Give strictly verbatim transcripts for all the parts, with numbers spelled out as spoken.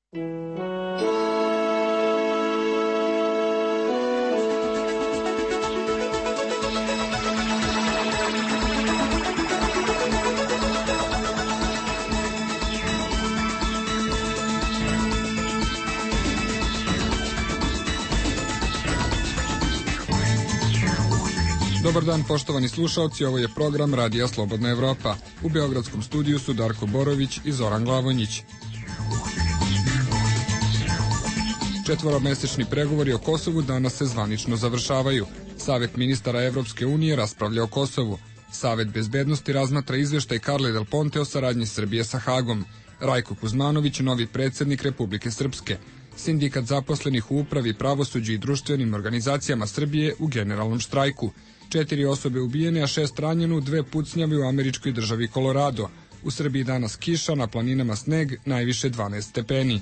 Dobar dan, poštovani slušalci, ovo je program Radija Slobodna Evropa. U beogradskom studiju su Darko Borović i Zoran Glavonjić. Četvoromesečni pregovori o Kosovu danas se zvanično završavaju. Savet ministara Evropske unije raspravlja o Kosovu. Savet bezbednosti razmatra izveštaj Carle Del Ponte o saradnji Srbije sa Hagom. Rajko Kuzmanović, novi predsjednik Republike Srpske. Sindikat zaposlenih u upravi, pravosuđu i društvenim organizacijama Srbije u generalnom štrajku. Četiri osobe ubijene, a šest ranjeno, dve pucnjave u američkoj državi Kolorado. U Srbiji danas kiša, na planinama sneg, najviše dvanaest stepeni.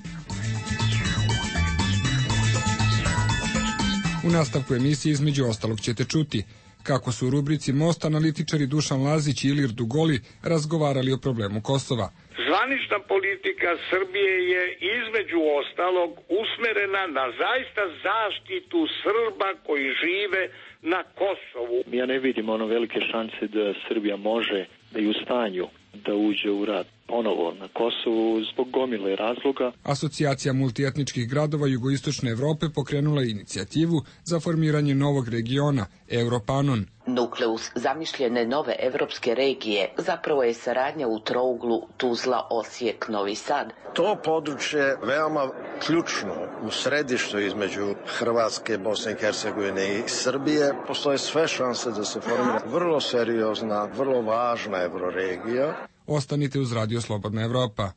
U nastavku emisije između ostalog ćete čuti kako su u rubrici Most analitičari Dušan Lazić i Ilir Dugoli razgovarali o problemu Kosova. Zvanična politika Srbije je između ostalog usmerena na zaista zaštitu Srba koji žive na Kosovu. Ja ne vidim ono velike šanse da Srbija može da je u stanju da uđe u rat ponovo na Kosovu zbog gomile razloga. Asocijacija multietničkih gradova jugoistočne Evrope pokrenula je inicijativu za formiranje novog regiona, Europanon. Nukleus zamišljene nove evropske regije zapravo je saradnja u trouglu Tuzla, Osijek, Novi Sad. To područje je veoma ključno u središtu između Hrvatske, Bosne i Hercegovine i Srbije. Postoje sve šanse da se formira vrlo seriozna, vrlo važna euroregija. Ostanite uz Radio Slobodna Evropa.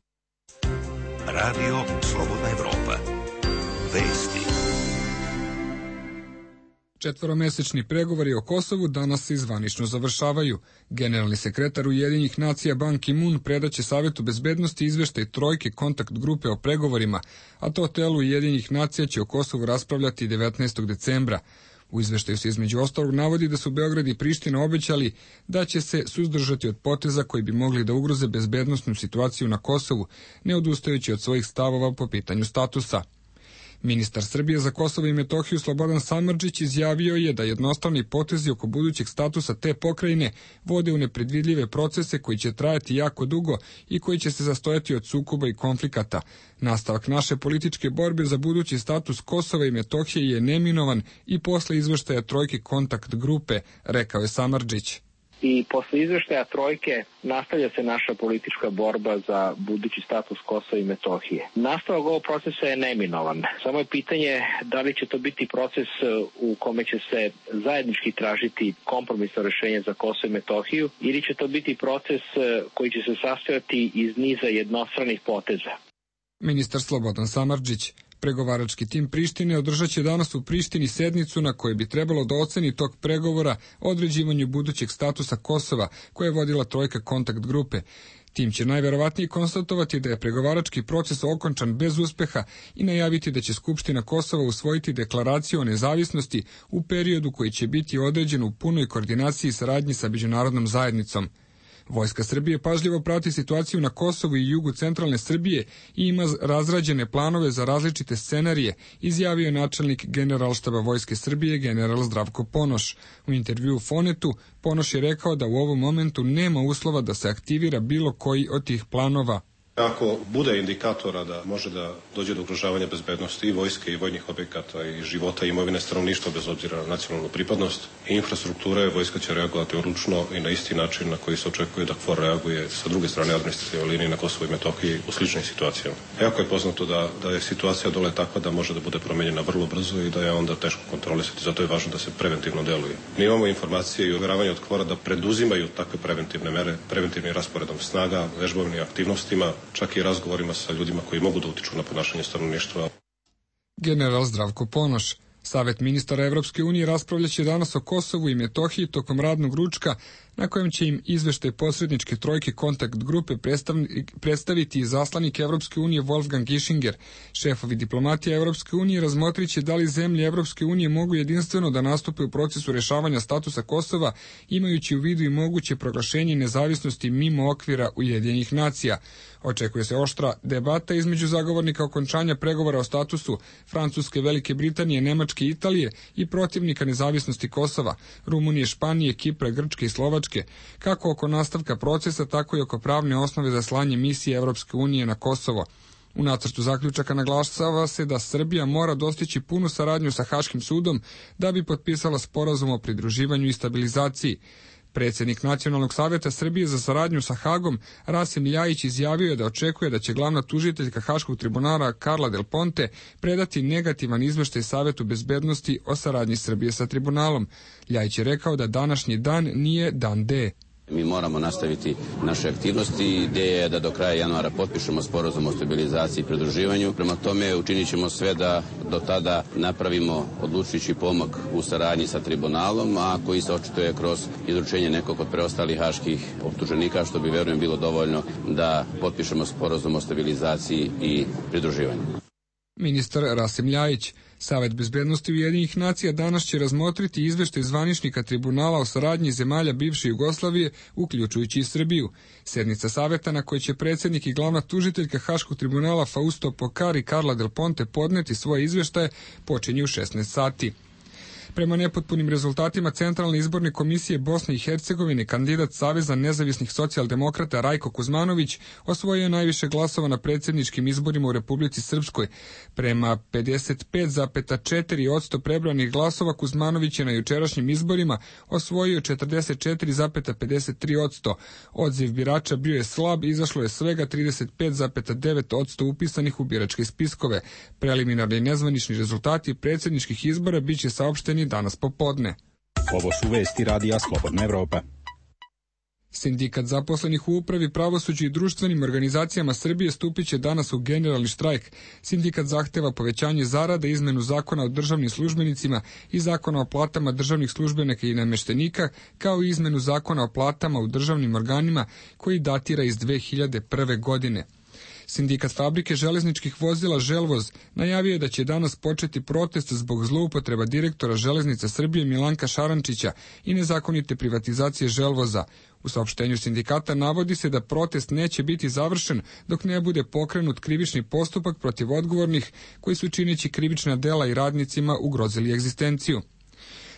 Radio Slobodna Evropa. Vesti. Četvoromesečni pregovori o Kosovu danas se zvanično završavaju. Generalni sekretar Ujedinjenih nacija Ban Ki-moon predaće Savetu bezbednosti izveštaj trojke kontakt grupe o pregovorima, a to telo Ujedinjenih nacija će o Kosovu raspravljati devetnaestog decembra. U izveštaju se između ostalog navodi da su Beograd i Priština obećali da će se suzdržati od poteza koji bi mogli da ugroze bezbednosnu situaciju na Kosovu, ne odustajući od svojih stavova po pitanju statusa. Ministar Srbije za Kosovo i Metohiju Slobodan Samardžić izjavio je da jednostavni potezi oko budućeg statusa te pokrajine vode u nepredvidljive procese koji će trajati jako dugo i koji će se zastojati od sukoba i konflikata. Nastavak naše političke borbe za budući status Kosova i Metohije je neminovan i posle izveštaja trojke kontakt grupe, rekao je Samardžić. I posle izveštaja trojke nastavlja se naša politička borba za budući status Kosova i Metohije. Nastavak ovog procesa je neminovan. Samo je pitanje da li će to biti proces u kome će se zajednički tražiti kompromisno rešenje za Kosovo i Metohiju ili će to biti proces koji će se sastojati iz niza jednostranih poteza. Ministar Slobodan Samardžić. Pregovarački tim Prištine održat će danas u Prištini sednicu na kojoj bi trebalo da oceni tok pregovora o određivanju budućeg statusa Kosova, koje je vodila trojka kontakt grupe. Tim će najverovatnije konstatovati da je pregovarački proces okončan bez uspeha i najaviti da će Skupština Kosova usvojiti deklaraciju o nezavisnosti u periodu koji će biti određen u punoj koordinaciji i saradnji sa međunarodnom zajednicom. Vojska Srbije pažljivo prati situaciju na Kosovu i jugu centralne Srbije i ima razrađene planove za različite scenarije, izjavio je načelnik Generalštaba Vojske Srbije general Zdravko Ponoš. U intervjuu Fonetu Ponoš je rekao da u ovom momentu nema uslova da se aktivira bilo koji od tih planova. Ako bude indikatora da može da dođe do ugrožavanja bezbednosti i vojske i vojnih objekata i života i imovine stanovništva bez obzira na nacionalnu pripadnost i infrastrukture, vojska će reagovati odlučno i na isti način na koji se očekuje da KFOR reaguje sa druge strane administrativne linije na Kosovo i Metohiji u sličnim situacijama. Jako je poznato da, da je situacija dole takva da može da bude promenjena vrlo brzo i da je onda teško kontrolisati, zato je važno da se preventivno deluje. Mi imamo informacije i uveravanje od KFOR-a da preduzimaju takve preventivne mere, preventivnim rasporedom snaga, vežbovnim aktivnostima, čak i razgovorima sa ljudima koji mogu da utiču na ponašanje stanovništva. General Zdravko Ponoš. Savet ministara Evropske unije raspravljaće danas o Kosovu i Metohiji tokom radnog ručka, na kojem će im izveštaj posredničke trojke kontakt grupe predstaviti izaslanik Evropske unije Wolfgang Ischinger. Šefovi diplomatije Evropske unije razmotrit će da li zemlje Evropske unije mogu jedinstveno da nastupe u procesu rešavanja statusa Kosova, imajući u vidu i moguće proglašenje nezavisnosti mimo okvira Ujedinjenih nacija. Očekuje se oštra debata između zagovornika okončanja pregovora o statusu Francuske, Velike Britanije, Nemačke i Italije i protivnika nezavisnosti Kosova, Rumunije, Španije, Kipra, Grčke i Slovačke, kako oko nastavka procesa, tako i oko pravne osnove za slanje misije Evropske unije na Kosovo. U nacrtu zaključaka naglašava se da Srbija mora dostići punu saradnju sa Haškim sudom da bi potpisala sporazum o pridruživanju i stabilizaciji. Predsjednik Nacionalnog savjeta Srbije za saradnju sa Hagom, Rasim Ljajić, izjavio je da očekuje da će glavna tužiteljka Haškog tribunala Carla Del Ponte predati negativan izveštaj Savetu bezbednosti o saradnji Srbije sa tribunalom. Ljajić je rekao da današnji dan nije dan D. Mi moramo nastaviti naše aktivnosti. Ideja je da do kraja januara potpišemo sporazum o stabilizaciji i pridruživanju. Prema tome učinit ćemo sve da do tada napravimo odlučujući pomak u saradnji sa tribunalom, a koji se očituje kroz izručenje nekog od preostalih haških optuženika, što bi, verujem, bilo dovoljno da potpišemo sporazum o stabilizaciji i pridruživanju. Ministar Rasim Ljajić. Savet bezbednosti Ujedinjenih nacija danas će razmotriti izveštaj zvaničnika tribunala o saradnji zemalja bivše Jugoslavije, uključujući i Srbiju. Sednica saveta na kojoj će predsjednik i glavna tužiteljka Haškog tribunala Fausto Pokar i Carla Del Ponte podneti svoje izveštaje počinje u šesnaest sati. Prema nepotpunim rezultatima Centralne izborne komisije Bosne i Hercegovine, kandidat Saveza nezavisnih socijaldemokrata Rajko Kuzmanović osvojio je najviše glasova na predsjedničkim izborima u Republici Srpskoj. Prema pedeset pet zarez četiri posto prebranih glasova Kuzmanović je na jučerašnjim izborima osvojio četrdeset četiri zarez pedeset tri posto. Odziv birača bio je slab, izašlo je svega trideset pet zarez devet posto upisanih u biračke spiskove. Preliminarni i nezvanični rezultati predsjedničkih izbora biće saopšteni danas popodne. Ovo su vesti Radija Slobodna Evropa. Sindikat zaposlenih u upravi, pravosuđu i društvenim organizacijama Srbije stupit će danas u generalni štrajk. Sindikat zahteva povećanje zarada, izmenu zakona o državnim službenicima i zakona o platama državnih službenika i namještenika, kao i izmenu zakona o platama u državnim organima koji datira iz dve hiljade prve. godine. Sindikat fabrike železničkih vozila Želvoz najavio je da će danas početi protest zbog zloupotreba direktora Železnica Srbije Milanka Šarančića i nezakonite privatizacije Želvoza. U saopštenju sindikata navodi se da protest neće biti završen dok ne bude pokrenut krivični postupak protiv odgovornih koji su čineći krivična dela i radnicima ugrozili egzistenciju.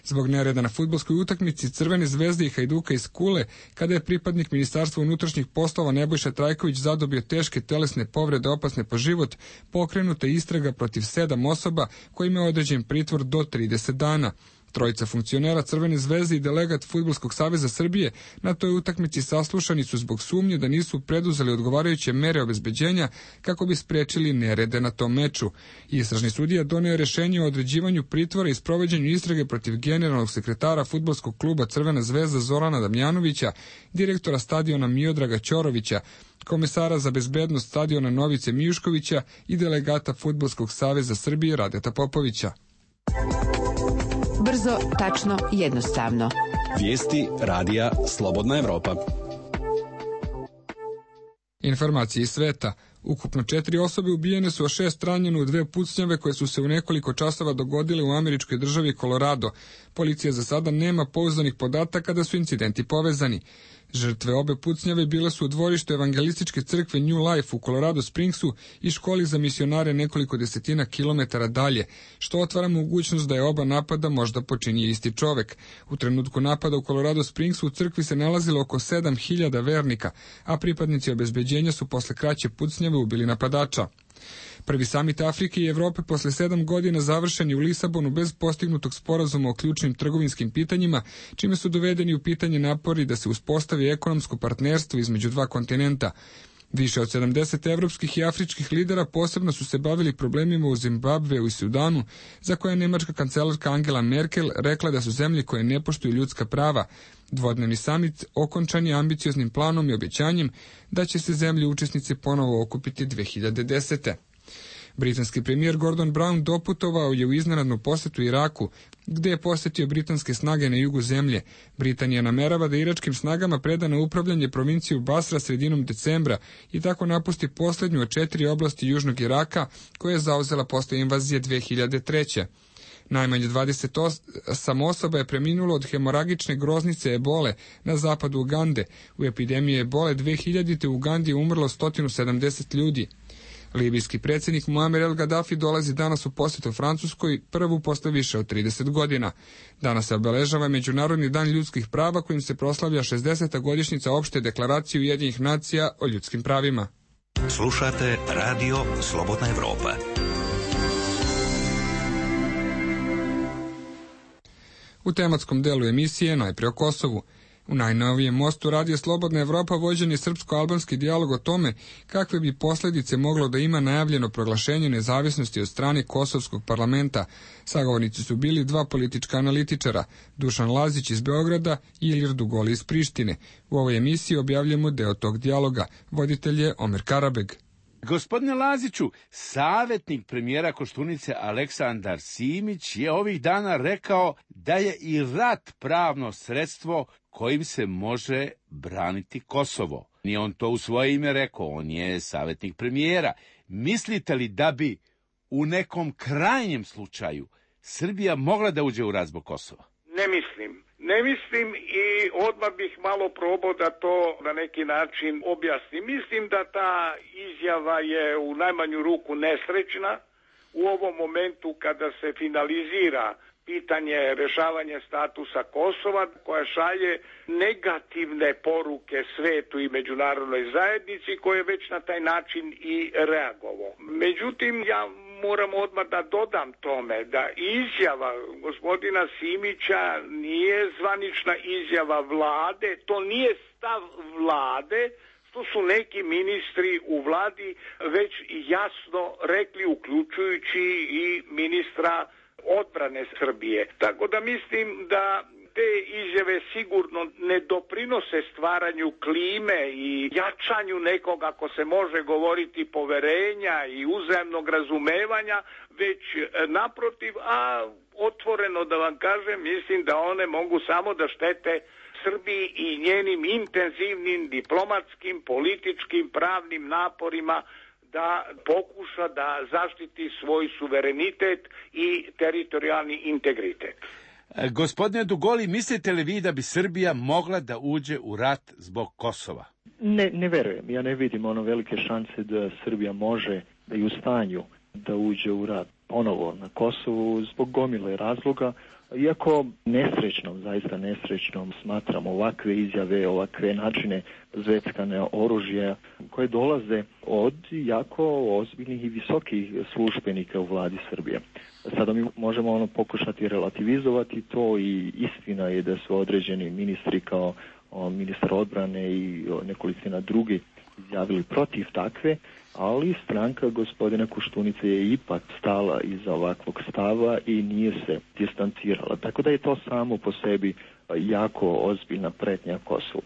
Zbog nereda na fudbalskoj utakmici Crvene zvezde i Hajduka iz Kule, kada je pripadnik Ministarstva unutrašnjih poslova Nebojša Trajković zadobio teške telesne povrede opasne po život, pokrenuta je istraga protiv sedam osoba kojima je određen pritvor do trideset dana. Trojica funkcionera Crvene zvezde i delegat Fudbalskog saveza Srbije na toj utakmici saslušani su zbog sumnje da nisu preduzeli odgovarajuće mere obezbeđenja kako bi sprečili nerede na tom meču. Istražni sudija doneo je rešenje o određivanju pritvora i sprovođenju istrage protiv generalnog sekretara Fudbalskog kluba Crvena zvezda Zorana Damjanovića, direktora stadiona Miodraga Ćorovića, komesara za bezbednost stadiona Novice Mijuškovića i delegata Fudbalskog saveza Srbije Radeta Popovića. Brzo, tačno, jednostavno. Vijesti Radija Slobodna Evropa. Informacije iz sveta. Ukupno četiri osobe ubijene su, a šest ranjeno u dve pucnjave koje su se u nekoliko časova dogodile u američkoj državi Colorado. Policija za sada nema pouzdanih podataka da su incidenti povezani. Žrtve obe pucnjave bile su u dvorištu evangelističke crkve New Life u Colorado Springsu i školi za misionare nekoliko desetina kilometara dalje, što otvara mogućnost da je oba napada možda počinio isti čovek. U trenutku napada u Colorado Springsu u crkvi se nalazilo oko sedam hiljada vernika, a pripadnici obezbeđenja su posle kraće pucnjave ubili napadača. Prvi samit Afrike i Evrope posle sedam godina završen je u Lisabonu bez postignutog sporazuma o ključnim trgovinskim pitanjima, čime su dovedeni u pitanje napori da se uspostavi ekonomsko partnerstvo između dva kontinenta. Više od sedamdeset evropskih i afričkih lidera posebno su se bavili problemima u Zimbabveu i Sudanu, za koje je nemačka kancelarka Angela Merkel rekla da su zemlje koje ne poštuju ljudska prava. Dvodnevni samit okončan je ambicioznim planom i obećanjem da će se zemlje učesnice ponovo okupiti dve hiljade desete. Britanski premijer Gordon Brown doputovao je u iznenadnu posetu Iraku, gde je posjetio britanske snage na jugu zemlje. Britanija namerava da iračkim snagama preda na upravljanje provinciju Basra sredinom decembra i tako napusti posljednju od četiri oblasti južnog Iraka koje je zauzela posle invazije dve hiljade treće. Najmanje dvadeset osam osoba je preminulo od hemoragične groznice ebole na zapadu Ugande. U epidemiji ebole dve hiljadite u Ugandi je umrlo sto sedamdeset ljudi. Libijski predsjednik Muammar el Gaddafi dolazi danas u posjetu Francuskoj, prvu posle više od trideset godina. Danas se obeležava Međunarodni dan ljudskih prava kojim se proslavlja šezdeseta godišnjica opšte deklaracije Ujedinjenih nacija o ljudskim pravima. Slušate Radio Slobodna Evropa. U tematskom delu emisije najpre o Kosovu. U najnovijem mostu Radio Slobodna Evropa vođen je srpsko-albanski dijalog o tome kakve bi posljedice moglo da ima najavljeno proglašenje nezavisnosti od strane Kosovskog parlamenta. Sagovornici su bili dva politička analitičara, Dušan Lazić iz Beograda i Ilir Dugoli iz Prištine. U ovoj emisiji objavljamo deo tog dijaloga. Voditelj je Omer Karabeg. Gospodine Laziću, savjetnik premijera Koštunice Aleksandar Simić je ovih dana rekao da je i rat pravno sredstvo kojim se može braniti Kosovo. Nije on to u svoje ime rekao, on je savjetnik premijera. Mislite li da bi u nekom krajnjem slučaju Srbija mogla da uđe u rat zbog Kosova? Ne mislim. Ne mislim i odmah bih malo probao da to na neki način objasnim. Mislim da ta izjava je u najmanju ruku nesrećna u ovom momentu kada se finalizira pitanje rešavanja statusa Kosova, koja šalje negativne poruke svetu i međunarodnoj zajednici, koje je već na taj način i reagovao. Međutim, ja moram odmah da dodam tome da izjava gospodina Simića nije zvanična izjava vlade, to nije stav vlade, što su neki ministri u vladi već jasno rekli, uključujući i ministra odbrane Srbije. Tako da mislim da te izjave sigurno ne doprinose stvaranju klime i jačanju nekog, ako se može govoriti, poverenja i uzajamnog razumevanja, već naprotiv, a otvoreno da vam kažem, mislim da one mogu samo da štete Srbiji i njenim intenzivnim diplomatskim, političkim, pravnim naporima da pokuša da zaštiti svoj suverenitet i teritorijalni integritet. Gospodine Dugoli, mislite li vi da bi Srbija mogla da uđe u rat zbog Kosova? Ne, ne verujem. Ja ne vidim ono velike šanse da Srbija može da je u stanju da uđe u rat ponovo na Kosovu zbog gomile razloga. Iako nesrećnom, zaista nesrećnom smatram ovakve izjave, ovakve načine zveckane oružja koje dolaze od jako ozbiljnih i visokih službenika u vladi Srbije. Sada mi možemo ono pokušati relativizovati to i istina je da su određeni ministri kao o, ministar odbrane i o, nekolicina drugi izjavili protiv takve, ali stranka gospodina Koštunice je ipak stala iza ovakvog stava i nije se distancirala. Tako da je to samo po sebi jako ozbiljna pretnja Kosovu.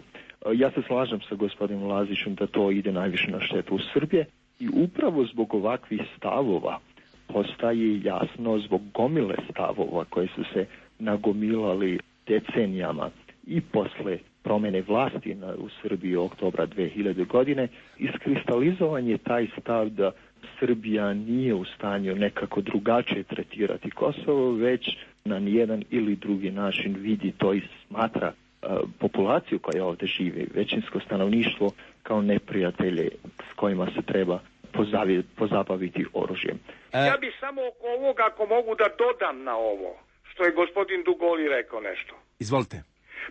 Ja se slažem sa gospodinom Lazićem da to ide najviše na štetu Srbije i upravo zbog ovakvih stavova postaje jasno, zbog gomile stavova koje su se nagomilali decenijama i posle promjene vlasti na, u Srbiji oktobra dve hiljade godine, iskristalizovan je taj stav da Srbija nije u stanju nekako drugačije tretirati Kosovo, već na nijedan ili drugi način vidi to i smatra uh, populaciju koja ovdje živi, većinsko stanovništvo, kao neprijatelje s kojima se treba pozavi, pozabaviti oružjem. Ja bih samo oko ovoga, ako mogu da dodam na ovo, što je gospodin Dugoli rekao nešto. Izvolite.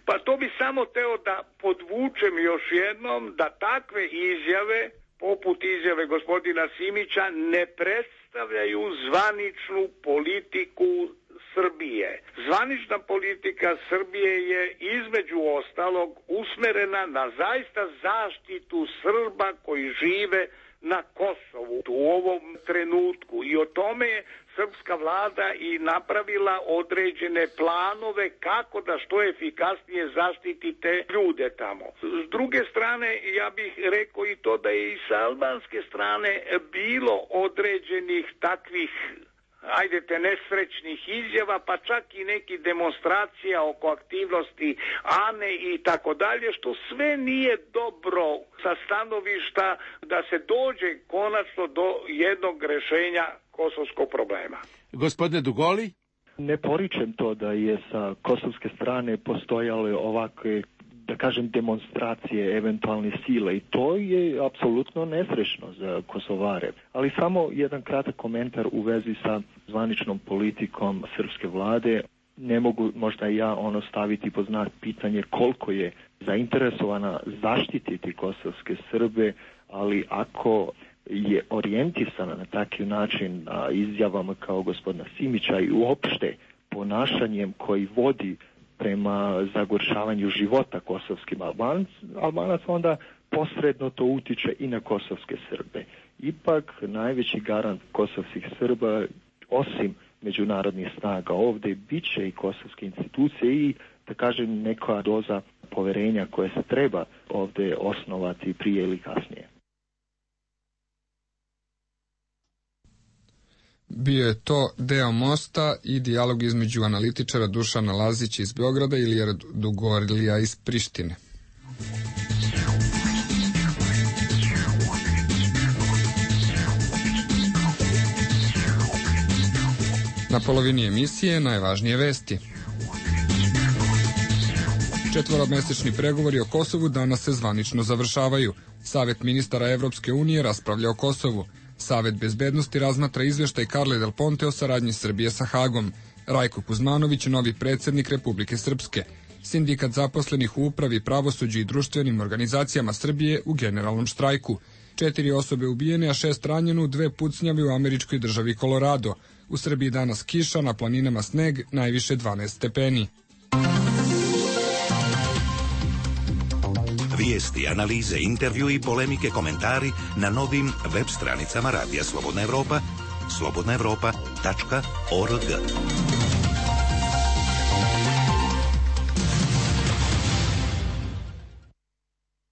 Pa to bi samo teo da podvučem još jednom da takve izjave, poput izjave gospodina Simića, ne predstavljaju zvaničnu politiku Srbije. Zvanična politika Srbije je između ostalog usmerena na zaista zaštitu Srba koji žive na Kosovu u ovom trenutku i o tome je srpska vlada i napravila određene planove kako da što efikasnije zaštiti te ljude tamo. S druge strane, ja bih rekao i to da je i sa albanske strane bilo određenih takvih ajdete nesrećnih izjava, pa čak i neki demonstracija oko aktivnosti Ane i tako dalje, što sve nije dobro sa stanovišta da se dođe konačno do jednog rešenja kosovskog problema. Gospodine Dugoli? Ne poričem to da je sa kosovske strane postojale ovakve, da kažem, demonstracije eventualne sile i to je apsolutno nesrećno za Kosovare. Ali samo jedan kratak komentar u vezi sa zvaničnom politikom srpske vlade. Ne mogu možda ja ono staviti pod znak pitanje koliko je zainteresovana zaštititi kosovske Srbe, ali ako je orijentisana na takav način a, izjavama kao gospodina Simića i uopšte ponašanjem koji vodi prema zagoršavanju života kosovskim Albanac, Albanac, onda posredno to utiče i na kosovske Srbe. Ipak najveći garant kosovskih Srba, osim međunarodnih snaga ovdje, bit će i kosovske institucije i, da kažem, neka doza poverenja koje se treba ovdje osnovati prije ili kasnije. Bio je to deo Mosta i dijalog između analitičara Dušana Lazića iz Beograda i Ilijera Dugorlija iz Prištine. Na polovini emisije najvažnije vesti. Četvoromesečni pregovori o Kosovu danas se zvanično završavaju. Savet ministara Evropske unije raspravlja o Kosovu. Savet bezbednosti razmatra izveštaj Carle Del Ponte o saradnji Srbije sa Hagom. Rajko Kuzmanović, novi predsjednik Republike Srpske. Sindikat zaposlenih u upravi, pravosuđu i društvenim organizacijama Srbije u generalnom štrajku. Četiri osobe ubijene, a šest ranjeno, dve pucnjave u američkoj državi Kolorado. U Srbiji danas kiša, na planinama sneg, najviše dvanaest stepeni. Vijesti, analize, intervju i polemike, komentari na novim web stranicama Radija Slobodna Evropa, slobodna evropa tačka org.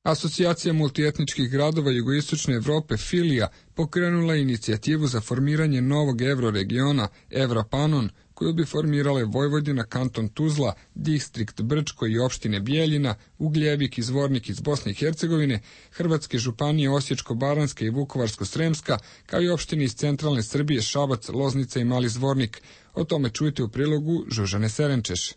Asocijacija multietničkih gradova jugoistočne Evrope Filija pokrenula inicijativu za formiranje novog evroregiona Evropanon, koju bi formirale Vojvodina, kanton Tuzla, distrikt Brčko i opštine Bijeljina, Ugljevik i Zvornik iz Bosne i Hercegovine, Hrvatske županije Osječko-baranjska i Vukovarsko-sremska, kao i opštine iz centralne Srbije Šabac, Loznica i Mali Zvornik. O tome čujte u prilogu Žužane Serenčeš.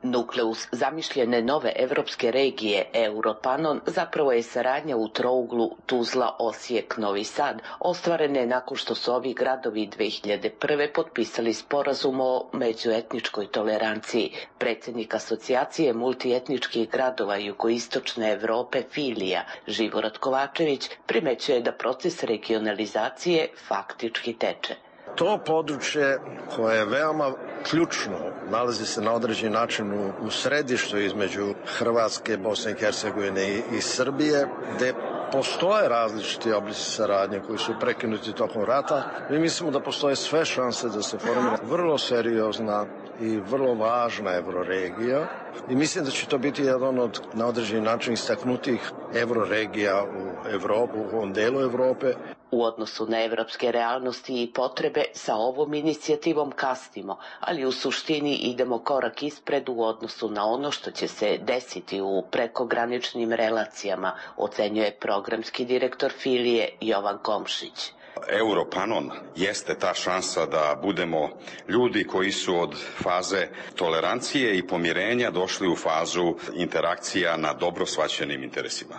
Nukleus zamišljene nove evropske regije Europanon zapravo je saradnja u trouglu Tuzla, Osijek, Novi Sad, ostvarene nakon što su ovi gradovi dve hiljade prve. potpisali sporazum o međuetničkoj toleranciji. Predsjednik asocijacije multietničkih gradova jugoistočne Evrope Filija, Živorad Kovačević, primećuje da proces regionalizacije faktički teče. To područje koje je veoma ključno, nalazi se na određen način u, u središtu između Hrvatske, Bosne i Hercegovine i, i Srbije, gde postoje različiti oblici saradnje koji su prekinuti tokom rata. Mi mislimo da postoje sve šanse da se formira vrlo seriozna i vrlo važna evroregija i mislim da će to biti jedan od na određeni način istaknutih evroregija u Evropu, u ovom delu Evrope. U odnosu na evropske realnosti i potrebe sa ovom inicijativom kasnimo, ali u suštini idemo korak ispred u odnosu na ono što će se desiti u prekograničnim relacijama, ocenjuje programski direktor Filije Jovan Komšić. Europanon jeste ta šansa da budemo ljudi koji su od faze tolerancije i pomirenja došli u fazu interakcija na dobro shvaćenim interesima.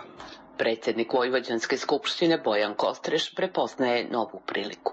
Predsjednik Vojvođanske skupštine Bojan Kostreš prepoznaje novu priliku.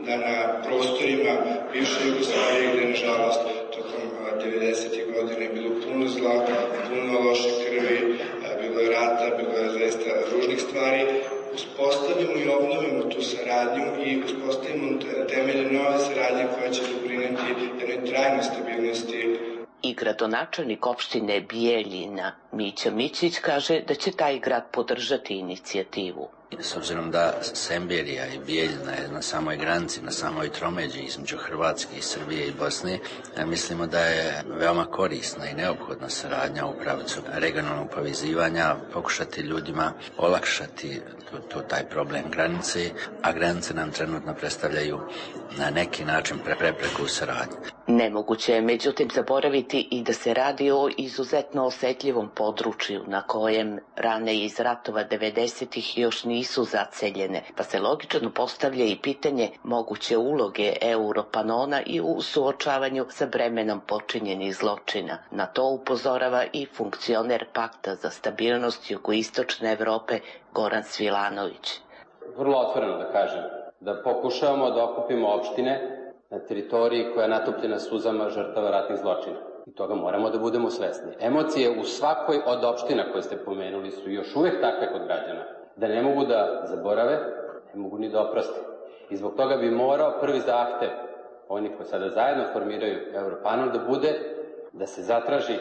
Da na prostorima bivše Jugoslavije, gde nažalost tokom devedesetih godina je bilo puno zla, puno loše krvi, bilo je rata, bilo je zaista ružnih stvari, uspostavimo i obnovimo tu saradnju i uspostavimo temelje nove saradnje koja će doprineti jednoj trajnoj stabilnosti. I gradonačelnik opštine Bijeljina Mića Mićić kaže da će taj grad podržati inicijativu. S obzirom da Semberija i Bijeljina je na samoj granici, na samoj tromeđi između Hrvatske i Srbije i Bosne, mislimo da je veoma korisna i neophodna saradnja u pravcu regionalnog povezivanja, pokušati ljudima olakšati to, to, taj problem granice, a granice nam trenutno predstavljaju na neki način prepreku u saradnji. Nemoguće je međutim zaboraviti i da se radi o izuzetno osetljivom području na kojem rane iz ratova devedesetih još nisu zaceljene, pa se logično postavlja i pitanje moguće uloge Europanona i u suočavanju sa bremenom počinjenih zločina. Na to upozorava i funkcioner Pakta za stabilnost jugoistočne Evrope Goran Svilanović. Vrlo otvoreno da kažem, da pokušavamo da okupimo opštine na teritoriji koja je natopljena suzama žrtava ratnih zločina. I toga moramo da budemo svesni. Emocije u svakoj od opština koje ste pomenuli su još uvek takve kod građana, da ne mogu da zaborave, ne mogu ni da oproste. I zbog toga bi morao prvi zahtev, oni koji sada zajedno formiraju Europanel, da bude da se zatraži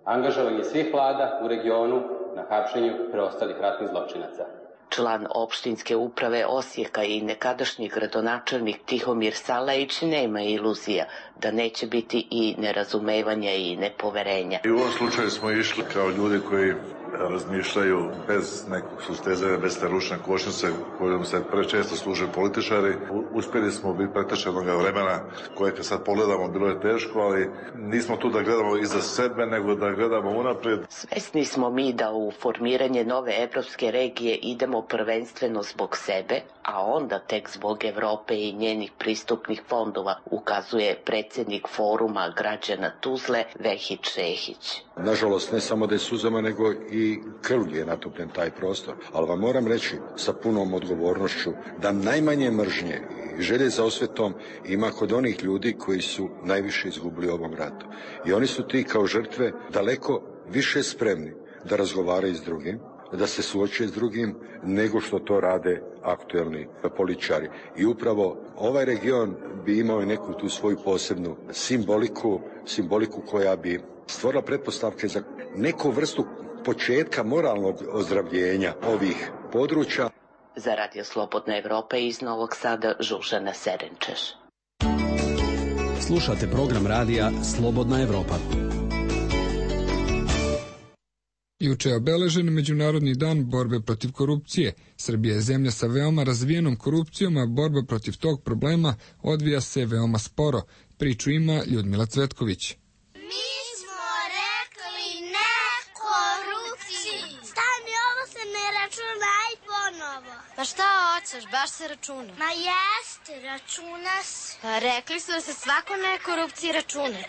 angažovanje svih vlada u regionu na hapšenju preostalih ratnih zločinaca. Član opštinske uprave Osijeka i nekadašnji gradonačelnik Tihomir Salajić nema iluzija da neće biti i nerazumevanja i nepoverenja. I u ovom slučaju smo išli kao ljudi koji razmišljaju bez nekog sustezanja, bez te ručne kočnice kojom se prečesto služe političari. Uspjeli smo biti pretešenog vremena koje kad sad pogledamo bilo je teško, ali nismo tu da gledamo iza sebe, nego da gledamo unaprijed. Svesni smo mi da u formiranje nove evropske regije idemo prvenstveno zbog sebe, a onda tek zbog Evrope i njenih pristupnih fondova, ukazuje predsjednik foruma građana Tuzle Vehid Šehić. Nažalost, ne samo da je suzama, nego i krvlju je natopljen taj prostor. Ali vam moram reći sa punom odgovornošću da najmanje mržnje i želje za osvetom ima kod onih ljudi koji su najviše izgubili u ovom ratu. I oni su ti kao žrtve daleko više spremni da razgovaraju s drugim, da se suoče s drugim, nego što to rade aktuelni političari. I upravo ovaj region bi imao i neku tu svoju posebnu simboliku, simboliku koja bi stvorila pretpostavke za neku vrstu početka moralnog ozdravljenja ovih područja. Za Radio Slobodna Evropa iz Novog Sada, Žužana Serenčeš. Slušate program radija Slobodna Evropa. Juče je obeležen Međunarodni dan borbe protiv korupcije. Srbija je zemlja sa veoma razvijenom korupcijom, a borba protiv tog problema odvija se veoma sporo. Priču ima Ljudmila Cvetković. Mi smo rekli ne korupciji. Stani, ovo se ne računa i ponovo. Pa šta hoćeš, baš se računa. Ma jeste, računa se. Pa rekli su da se svako ne korupciji računa.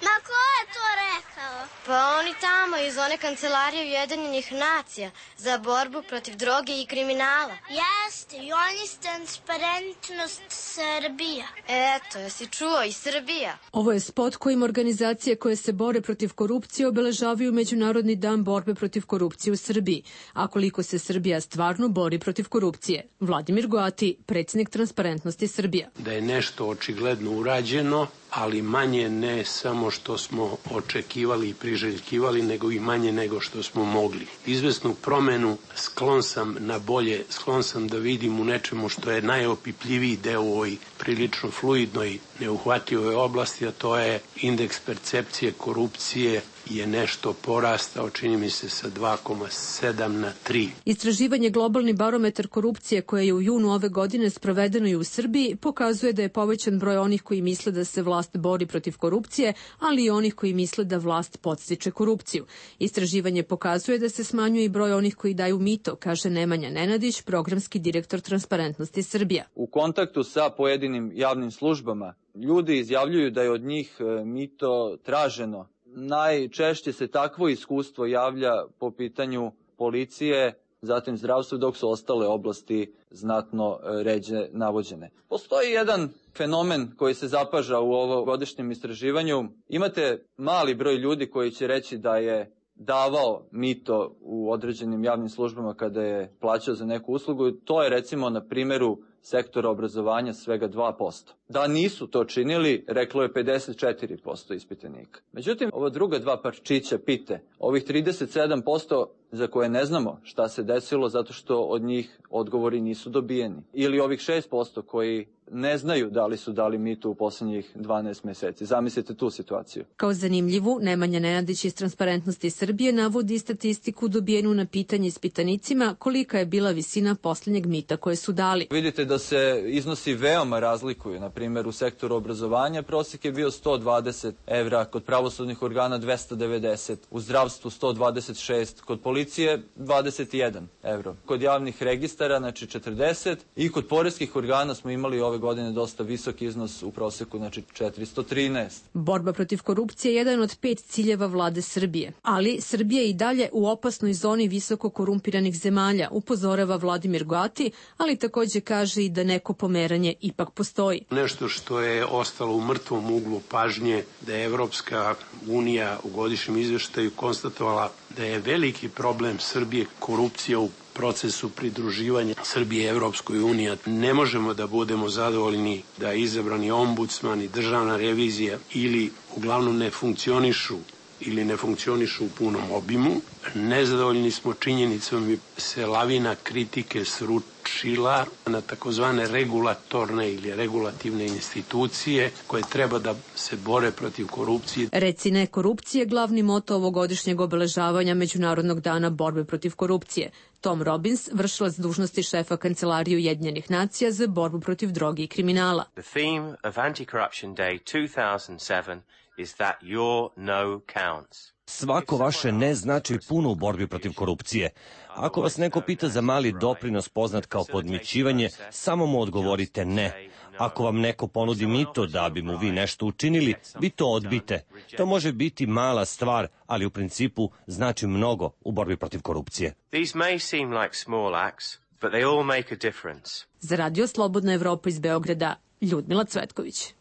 Ma ko je to rekao? Pa oni tamo iz one kancelarije Ujedinjenih nacija za borbu protiv droge i kriminala. Jeste, i oni s Transparentnost Srbija. Eto, jesi čuo, i Srbija. Ovo je spot kojim organizacije koje se bore protiv korupcije obeležavaju Međunarodni dan borbe protiv korupcije u Srbiji. A koliko se Srbija stvarno bori protiv korupcije? Vladimir Goati, predsjednik Transparentnosti Srbija. Da je nešto očigledno urađeno, ali manje ne samo što smo očekivali i priželjkivali, nego i manje nego što smo mogli. Izvesnu promenu sklon sam na bolje, sklon sam da vidim u nečemu što je najopipljiviji deo u ovoj prilično fluidnoj, neuhvatljivoj oblasti, a to je indeks percepcije korupcije je nešto porastao, čini mi se, sa dva zarez sedam na tri. Istraživanje Globalni barometar korupcije koje je u junu ove godine sprovedeno i u Srbiji pokazuje da je povećan broj onih koji misle da se vlast bori protiv korupcije, ali i onih koji misle da vlast podstiče korupciju. Istraživanje pokazuje da se smanjuje i broj onih koji daju mito, kaže Nemanja Nenadić, programski direktor Transparentnosti Srbija. U kontaktu sa pojedinim javnim službama ljudi izjavljuju da je od njih mito traženo. Najčešće se takvo iskustvo javlja po pitanju policije, zatim zdravstva, dok su ostale oblasti znatno ređe navođene. Postoji jedan fenomen koji se zapaža u ovogodišnjem istraživanju. Imate mali broj ljudi koji će reći da je davao mito u određenim javnim službama kada je plaćao za neku uslugu. To je recimo na primjeru sektora obrazovanja svega dva posto. Da nisu to činili, reklo je pedeset četiri posto ispitanika. Međutim, ova druga dva parčića pite, ovih trideset sedam posto za koje ne znamo šta se desilo zato što od njih odgovori nisu dobijeni. Ili ovih šest posto koji ne znaju da li su dali mito u poslednjih dvanaest meseci. Zamislite tu situaciju. Kao zanimljivu, Nemanja Nenadić iz Transparentnosti Srbije navodi statistiku dobijenu na pitanje ispitanicima kolika je bila visina poslednjeg mita koje su dali. Vidite da se iznosi veoma razlikuju. Na primjer, u sektoru obrazovanja prosjek je bio sto dvadeset evra, kod pravosudnih organa dvesta devedeset, u zdravstvu sto dvadeset šest, kod policije dvadeset jedan evro, kod javnih registara znači četrdeset i kod poreskih organa smo imali ove godine dosta visok iznos u proseku, znači četiristo trinaest. Borba protiv korupcije je jedan od pet ciljeva vlade Srbije, ali Srbija je i dalje u opasnoj zoni visoko korumpiranih zemalja, upozorava Vladimir Goati, ali takođe kaže i da neko pomeranje ipak postoji. Nešto što je ostalo u mrtvom uglu pažnje, da je Evropska unija u godišnjem izveštaju konstatovala da je veliki problem Srbije korupcija u procesu pridruživanja Srbije Evropskoj uniji. Ne možemo da budemo zadovoljni da izabrani ombudsman i državna revizija ili uglavnom ne funkcionišu ili ne funkcionišu u punom obimu. Nezadovoljni smo činjenicom da se lavina kritike sručila na takozvane regulatorne ili regulativne institucije koje treba da se bore protiv korupcije. Reci ne korupcije, glavni moto ovogodišnjeg obeležavanja Međunarodnog dana borbe protiv korupcije. Tom Robbins, vršilac dužnosti šefa Kancelarije Ujedinjenih nacija za borbu protiv droge i kriminala. The theme of Anti-Corruption Day two thousand seven is that your no counts. Svako vaše ne znači puno u borbi protiv korupcije. Ako vas neko pita za mali doprinos poznat kao podmićivanje, samo mu odgovorite ne. Ako vam neko ponudi mito da bi mu vi nešto učinili, vi to odbite. To može biti mala stvar, ali u principu znači mnogo u borbi protiv korupcije. These may seem like small acts, but they all make a difference. Za Radio Slobodna Evropa iz Beograda, Ljudmila Cvetković.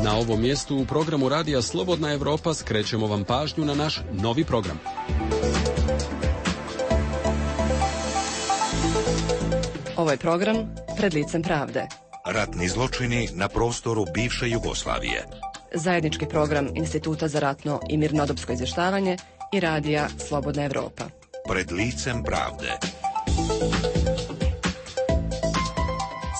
Na ovom mjestu u programu Radija Slobodna Evropa skrećemo vam pažnju na naš novi program. Ovo je program Pred licem pravde. Ratni zločini na prostoru bivše Jugoslavije. Zajednički program Instituta za ratno i mirnodopsko izvještavanje i Radija Slobodna Evropa. Pred licem pravde.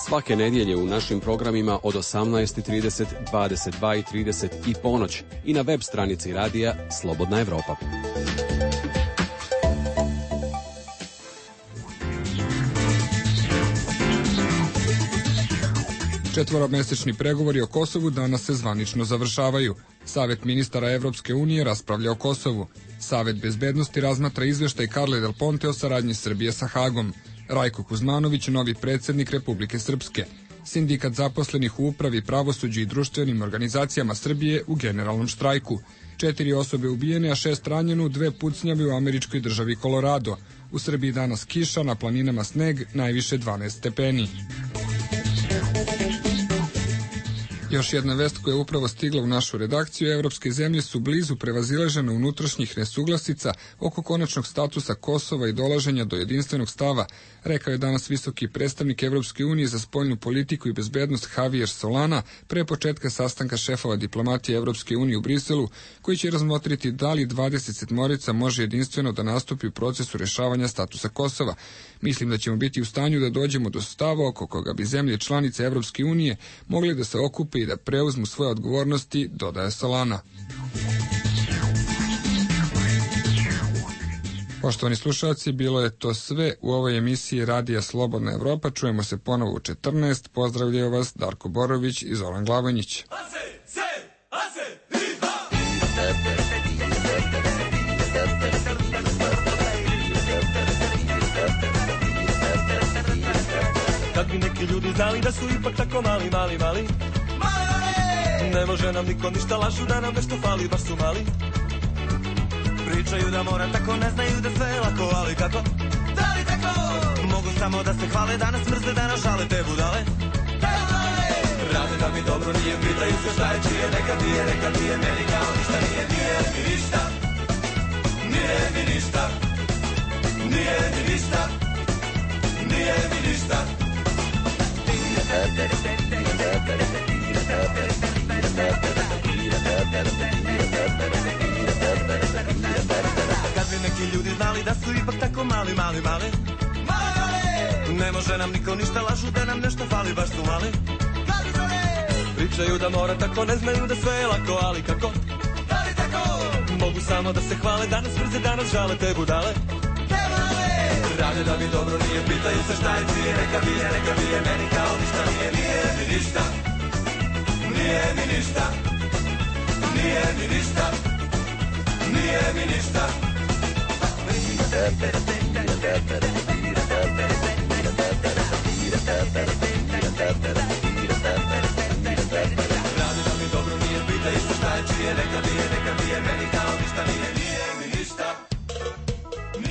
Svake nedjelje u našim programima od osamnaest i trideset, dvadeset dva i trideset i ponoć i na web stranici Radija Slobodna Evropa. Četvoromesečni pregovori o Kosovu danas se zvanično završavaju. Savet ministara Evropske unije raspravlja o Kosovu. Savet bezbednosti razmatra izveštaj Carle Del Ponte o saradnji Srbije sa Hagom. Rajko Kuzmanović, novi predsjednik Republike Srpske. Sindikat zaposlenih u upravi, pravosuđu i društvenim organizacijama Srbije u generalnom štrajku. Četiri osobe ubijene, a šest ranjeno u dve pucnjave u američkoj državi Kolorado. U Srbiji danas kiša, na planinama sneg, najviše dvanaest stepeni. Još jedna vest koja je upravo stigla u našu redakciju, evropske zemlje su blizu prevazilaženja unutrašnjih nesuglasica oko konačnog statusa Kosova i dolaženja do jedinstvenog stava, rekao je danas visoki predstavnik Evropske unije za spoljnu politiku i bezbednost Javier Solana pre početka sastanka šefova diplomatije Evropske unije u Briselu, koji će razmotriti da li dvadeset sedmorica može jedinstveno da nastupi u procesu rešavanja statusa Kosova. Mislim da ćemo biti u stanju da dođemo do stava oko koga bi zemlje članice Evropske unije mogli da se okupe i da preuzmu svoje odgovornosti, dodaje Solana. Poštovani slušalci, bilo je to sve u ovoj emisiji Radija Slobodna Evropa. Čujemo se ponovo u četrnaest. Pozdravljaju vas Darko Borović i Zoran Glavonjić. Kad bi neki ljudi znali da su ipak tako mali, mali, mali, ne može nam niko ništa, lažu da nam nešto fali, baš su mali. Pričaju da mora tako, ne znaju da sve lako, ali kako? Da li tako? Mogu samo da se hvale, da nas mrze, da nas žale te budale. Rade da mi dobro nije, pitaju se šta je čije, neka nije, neka nije, meni kao ništa nije, nije mi ništa. nije mi ništa, nije mi ništa, nije mi ništa. Kad bi neki ljudi znali da su ipak tako mali, mali, mali, ne može nam niko ništa, lažu da nam nešto fali, baš su mali. Pričaju da mora tako, ne znaju da sve je lako, ali kako? Mogu samo da se hvale, danas mrze, danas žale te budale. Rade da mi dobro nije, pitaju se šta je čije, neka bije, neka bije, meni kao ništa nije, nije mi ništa, nije mi ništa, nije mi ništa, nije mi ništa.